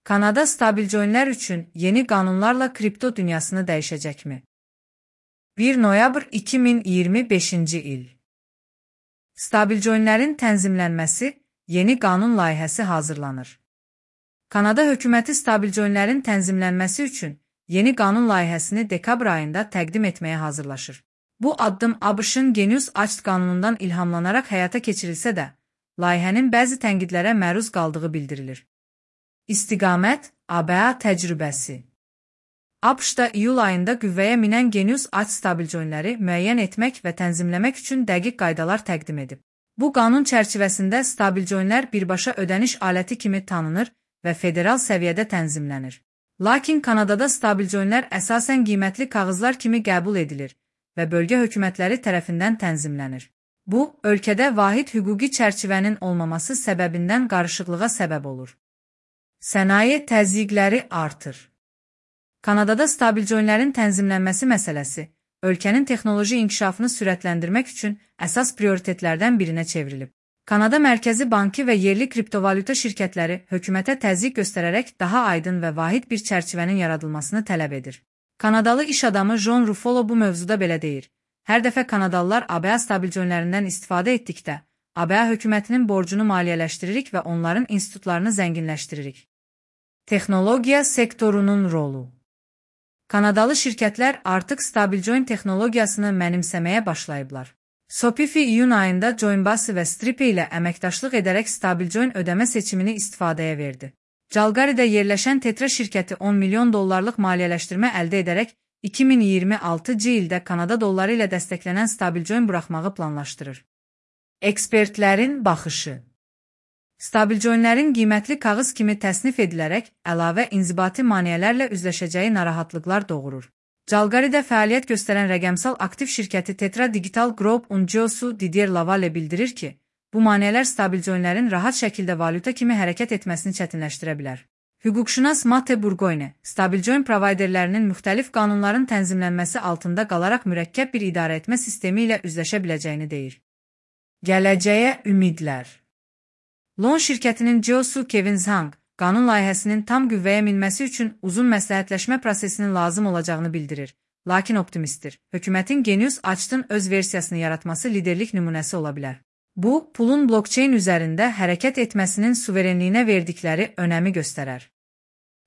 Kanada stabilcoinlər üçün yeni qanunlarla kripto dünyasını dəyişəcəkmi? 1 noyabr 2025-ci il. Stabilcoinlərin tənzimlənməsi yeni qanun layihəsi hazırlanır. Kanada hökuməti stabilcoinlərin tənzimlənməsi üçün yeni qanun layihəsini dekabr ayında təqdim etməyə hazırlaşır. Bu addım ABŞ-ın Genius Act qanunundan ilhamlanaraq həyata keçirilsə də, layihənin bəzi tənqidlərə məruz qaldığı bildirilir. İstiqamət, ABA təcrübəsi. ABŞ-da iyul ayında qüvvəyə minən Genius Act stabilcoinləri müəyyən etmək və tənzimləmək üçün dəqiq qaydalar təqdim edib. Bu qanun çərçivəsində stabilcoinlər birbaşa ödəniş aləti kimi tanınır və federal səviyyədə tənzimlənir. Lakin Kanadada stabilcoinlər əsasən qiymətli kağızlar kimi qəbul edilir və bölgə hökumətləri tərəfindən tənzimlənir. Bu, ölkədə vahid hüquqi çərçivənin olmaması səbəbindən qarışıqlığa səbəb olur. Sənaye təzyiqləri artır. Kanadada stabilcoinlərin tənzimlənməsi məsələsi, ölkənin texnoloji inkişafını sürətləndirmək üçün əsas prioritetlərdən birinə çevrilib. Kanada Mərkəzi Bankı və yerli kriptovalyuta şirkətləri hökumətə təzyiq göstərərək daha aydın və vahid bir çərçivənin yaradılmasını tələb edir. Kanadalı iş adamı John Ruffalo bu mövzuda belə deyir. Hər dəfə Kanadalılar ABA stabilcoinlərindən istifadə etdikdə, ABA hökumətinin borcunu maliyyələşdiririk və onların institutlarını zənginləşdiririk. Texnologiya sektorunun rolu. Kanadalı şirkətlər artıq stabilcoin texnologiyasını mənimsəməyə başlayıblar. Shopify iyun ayında Coinbase və Stripe ilə əməkdaşlıq edərək stabilcoin ödəmə seçimini istifadəyə verdi. Calgary'də yerləşən Tetra şirkəti $10 milyon maliyyələşdirmə əldə edərək 2026-cı ildə Kanada dolları ilə dəstəklənən stabilcoin buraxmağı planlaşdırır. Ekspertlərin baxışı. Stabilcoinlərin qiymətli kağız kimi təsnif edilərək əlavə inzibati maneələrlə üzləşəcəyi narahatlıqlar doğurur. Calgary'də fəaliyyət göstərən rəqəmsal aktiv şirkəti Tetra Digital Group'un CEO-su Didier Laval bildirir ki, bu maneələr stabilcoinlərin rahat şəkildə valyuta kimi hərəkət etməsini çətinləşdirə bilər. Hüquqşünas Mate Burgoyne, stabilcoin provayderlərinin müxtəlif qanunların tənzimlənməsi altında qalaraq mürəkkəb bir idarəetmə sistemi ilə üzləşə biləcəyini deyir. Gələcəyə ümidlər. Loan şirkətinin CEO-su Kevin Zhang, qanun layihəsinin tam qüvvəyə minməsi üçün uzun məsləhətləşmə prosesinin lazım olacağını bildirir, lakin optimistdir. Hökumətin Genius Act'ın öz versiyasını yaratması liderlik nümunəsi ola bilər. Bu, pulun blockchain üzərində hərəkət etməsinin suverenliyinə verdikləri önəmi göstərər.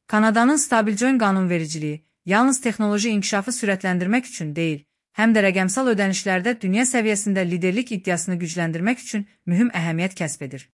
Kanadanın stabilcoin qanunvericiliyi yalnız texnoloji inkişafı sürətləndirmək üçün deyil, həm də rəqəmsal ödənişlərdə dünya səviyyəsində liderlik iddiasını gücləndirmək üçün mühüm əhəmiyyət kəsb edir.